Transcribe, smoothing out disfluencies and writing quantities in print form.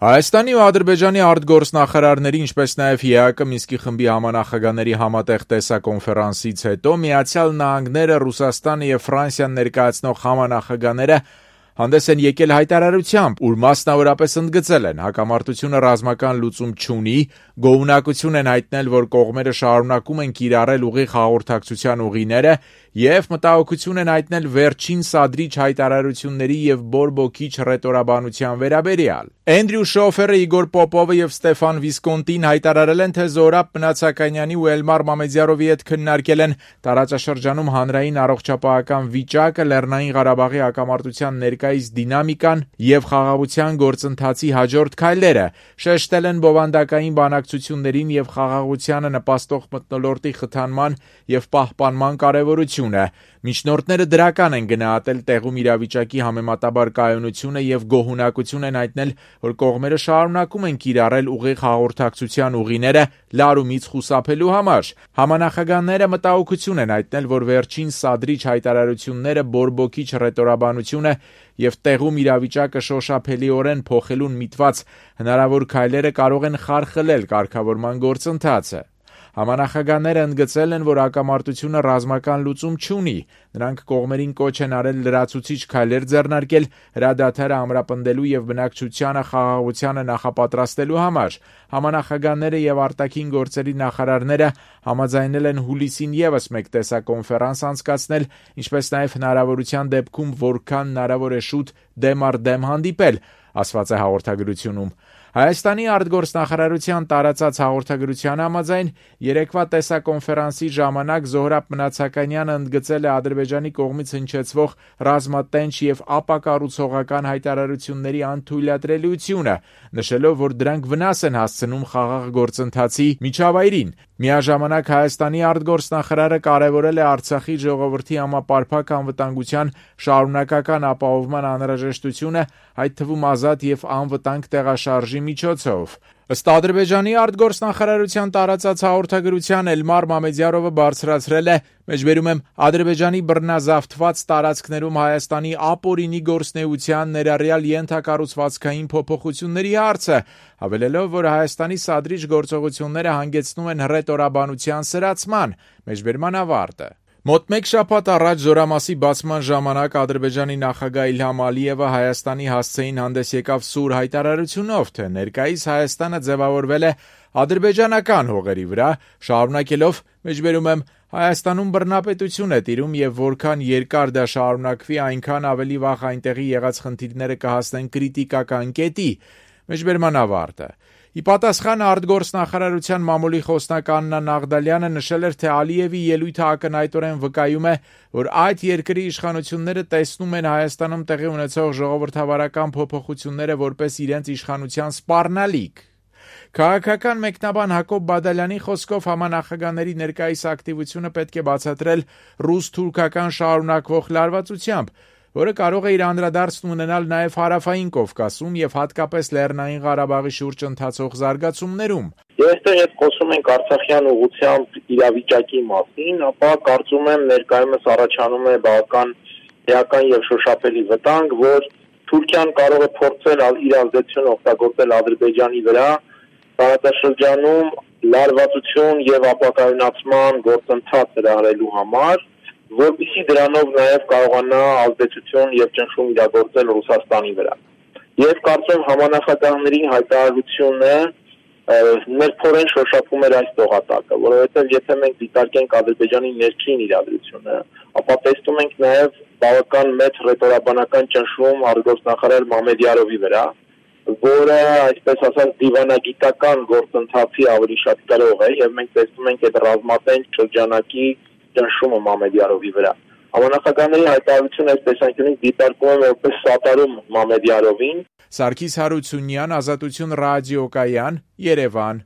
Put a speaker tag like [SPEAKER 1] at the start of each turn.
[SPEAKER 1] Հայաստանի ու Ադրբեջանի արտգործնախարարների, ինչպես նաև ԵԱԿ Մինսկի խմբի համանախագահների համատեղ տեսակոնֆերանսից հետո Միացյալ Նահանգները, Ռուսաստանը և Ֆրանսիան ներկայացնող համանախագահները հանդես են եկել հայտարարությամբ, ուր մասնավորապես ընդգծել են հակամարտությունը ռազմական լուծում չունի, գոհունակություն են հայտնել, որ կողմերը շարունակում են կիրառել ուղիղ հաղորդակցության ուղիները և մտահոգություն են հայտնել վերջին սադրիչ հայտարարությունների և բորբոքիչ հռետորաբանության վերաբերյալ։ Էնդրյու Շոֆերը, Իգոր Պոպովը և Ստեֆան Վիսկոնտին հայտարարել են, թե Զոհրաբ Մնացականյանի ու Էլմար Մամեդյարովի հետ քննարկել են տարածաշրջանում հանրային առողջապահական վիճակը, Լեռնային Ղարաբաղի հակամարտության ներկայիս դինամիկան և խաղաղության գործընթացի հաջորդ քայլերը, շեշտել են բովանդակային բանակցություններին և խաղաղությանը նպաստող մթնոլորտի խթանման և պահպանման կարևորությունը։ Միջնորդները դրական են գնահատել տեղում իրավիճակի համեմատաբար կայունությունը և գոհունակություն են հայտնել, որ կողմերը շարունակում են կիրառել ուղիղ հաղորդակցության ուղիները լարումից խուսափելու համար։ Համանախագահները մտահոգություն են հայտնել, որ վերջին սադրիչ հայտարարությունները, բորբոքիչ հռետորաբանությունը և տեղում իրավիճակը շոշափելիորեն փոխելուն միտված հնարավոր քայլերը կարող են խարխլել կարգավորման գործընթացը։ Համանախագահները ընդգծել են, որ հակամարտությունը ռազմական լուծում չունի։ Նրանք կողմերին կոչ են արել լրացուցիչ քայլեր ձեռնարկել հրադադարը ամրապնդելու և բնակչությանը խաղաղությանը նախապատրաստելու համար։ Համանախագահները և արտաքին գործերի նախարարները համաձայնել են հուլիսին ևս մեկ տեսակոնֆերանս անցկացնել, ինչպես նաև հնարավորության դեպքում որքան հնարավոր է շուտ դեմ առ դեմ հանդիպել, ասված է հաղորդագրությունում։ Հայաստանի արտգործնախարարության տարածած հաղորդագրության համաձայն երեկվա տեսակոնֆերանսի ժամանակ Զոհրաբ Մնացականյանը ընդգծել է Ադրբեջանի կողմից հնչեցվող ռազմատենչ և ապակառուցողական հայտարարությունների անթույլատրելիությունը, նշելով, որ դրանք վնաս են հասցնում խաղաղ գործընթացի միջավայրին։ Միաժամանակ Հայաստանի արտգործնախարարը կարևորել է Արցախի ժողովրդի համապարփակ անվտանգության շարունակական ապահովման անհրաժեշտությունը, այդ թվում ազատ և անվտանգ տեղաշարժի միջոցով։ Ըստ Ադրբեջանի արտգործնախարարության տարածած հաղորդագրության Էլմար Մամեդյարովը բարձրացրել է «Ադրբեջանի բռնազավթված տարածքներում Հայաստանի ապօրինի գործունեության, ներառյալ ենթակառուցվածքային փոփոխությունների հարցը», հավելելով, որ Հայաստանի սադրիչ գործողությունները հանգեցնում են հռետորաբանության սրացման։ Մոտ մեկ շաբաթ առաջ զորամասի բացման ժամանակ Ադրբեջանի նախագահ Իլհամ Ալիևը Հայաստանի հասցեին հանդես եկավ սուր հայտարարությունով, թե ներկայիս Հայաստանը ձևավորվել է ադրբեջանական հողերի վրա, շարունակելով. «Հայաստանում բռնապետություն է տիրում և որքան երկար դա շարունակվի, այնքան ավելի վաղ այնտեղի եղած խնդիրները կհասնեն կրիտիկական կետի»։ Ի պատասխան արտգործնախարարության մամուլի խոսնակ Աննա Նաղդալյանը նշել էր, թե Ալիևի ելույթը ակնհայտորեն վկայում է, որ այդ երկրի իշխանությունները տեսնում են Հայաստանում տեղի ունեցող ժողովրդավարական փոփոխությունները որպես իրենց իշխանության սպառնալիք։ Քաղաքական մեկնաբան Հակոբ Բադալյանի խոսքով համանախագահների ներկայիս ակտիվությունը պետք է բացատրել ռուս-թուրքական շարունակվող լարվածությամբ, որը կարող է իր անդրադարձն ունենալ նաև Հարավային Կովկասում և հատկապես Լեռնային Ղարաբաղի շուրջ ընթացող զարգացումներում։
[SPEAKER 2] Այստեղ եթե խոսում ենք արցախյան ուղղությամբ իրավիճակի մասին, ապա կարծում եմ ներկայումս առաջանում է բավական էական և շոշափելի վտանգ, որ Թուրքիան կարող է փորձել իր ազդեցությունը օգտագործել Ադրբեջանի վրա տարածաշրջանում լարվածություն և ապակայունացման գործընթաց հրահրելու համար, որպեսզի դրանով նաև կարողանա ազդեցություն և ճնշում իրագործել Ռուսաստանի վրա։ Եվ կարծում համանախագահների հայտարարությունը ներքորեն շոշափում էր այս տողատակը, որովհետև եթե մենք դիտարկենք Ադրբեջանի ներքին իրադրությունը, ապա տեսնում ենք նաև բավական մեծ հռետորաբանական ճնշում արտգործնախարար Մամեդյարովի վրա, որը, այսպես ասած, դիվանագիտական գործընթացի ավելի շատ կրող է, եւ մենք տեսնում ենք այդ ռազմատենչ շրջանակի ճնշումը Մամեդյարովի վրա։ Համանախագահների հայտարարությունը այս տեսանկյունից դիտարկում է որպես սատարում Մամեդյարովին։
[SPEAKER 1] Սարգիս Հարությունյան, Ազատություն ռադիոկայան, Երևան։